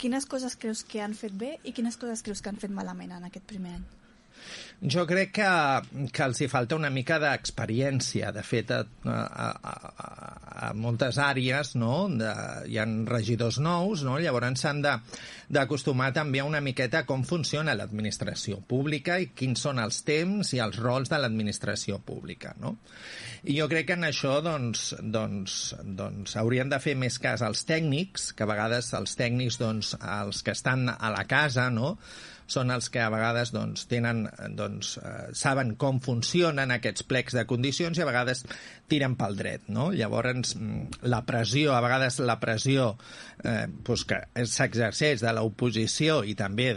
quines coses creus que han fet bé i quines coses creus que han fet malament en aquest primer any? Jo crec que els hi falta una mica d'experiència. De fet, a moltes àrees, no? Hi ha regidors nous, no? Llavors s'han d'acostumar també una miqueta a com funciona l'administració pública i quins són els temps i els rols de l'administració pública, no? I jo crec que en això hauríem de fer més cas als tècnics, que a vegades els tècnics, els que estan a la casa, no?, són els que a vegades saben com funcionen aquests plecs de condicions i a vegades tiren pel dret, no? Llavors, a vegades la pressió que s'exerceix de l'oposició i també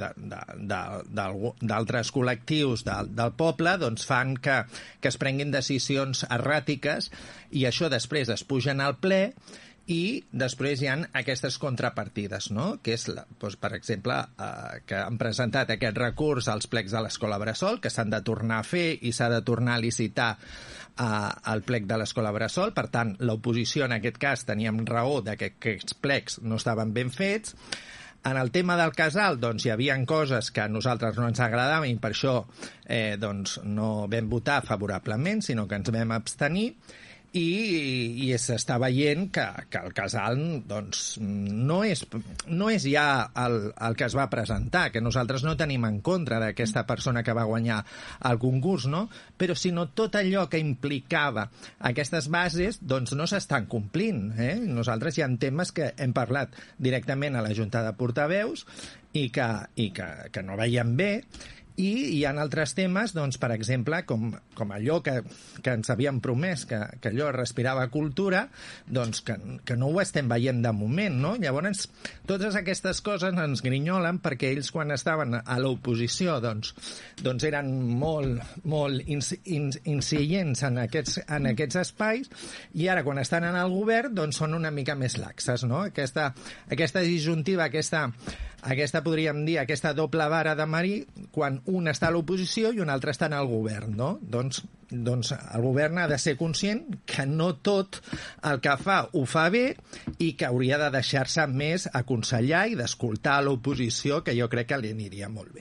d'altres col·lectius del poble fan que es prenguin decisions erràtiques i això després es pugen al ple i després hi ha aquestes contrapartides, no? Que és, per exemple, que han presentat aquest recurs als plecs de l'Escola Bressol, que s'han de tornar a fer i s'ha de tornar a licitar al plec de l'Escola Bressol. Per tant, l'oposició, en aquest cas, teníem raó de que aquests plecs no estaven ben fets. En el tema del casal, hi havia coses que a nosaltres no ens agradaven i per això no vam votar favorablement, sinó que ens vam abstenir. I s'està veient que el casal no és ja el que es va presentar, que nosaltres no tenim en contra d'aquesta persona que va guanyar el concurs, no? Però sinó tot allò que implicava aquestes bases no s'estan complint. Nosaltres hi ha temes que hem parlat directament a la Junta de Portaveus i que no veiem bé. I hi ha altres temes, per exemple, com allò que ens havien promès, que allò respirava cultura, que no ho estem veient de moment, no? Llavors, totes aquestes coses ens grinyolen perquè ells, quan estaven a l'oposició, eren molt incidents en aquests espais, i ara, quan estan en el govern, són una mica més laxes, no? Aquesta disjuntiva, aquesta podríem dir, aquesta doble vara de marí, quan un està a l'oposició i un altre està en el govern, no? Doncs el govern ha de ser conscient que no tot el que fa ho fa bé i que hauria de deixar-se més aconsellar i d'escoltar l'oposició, que jo crec que li aniria molt bé.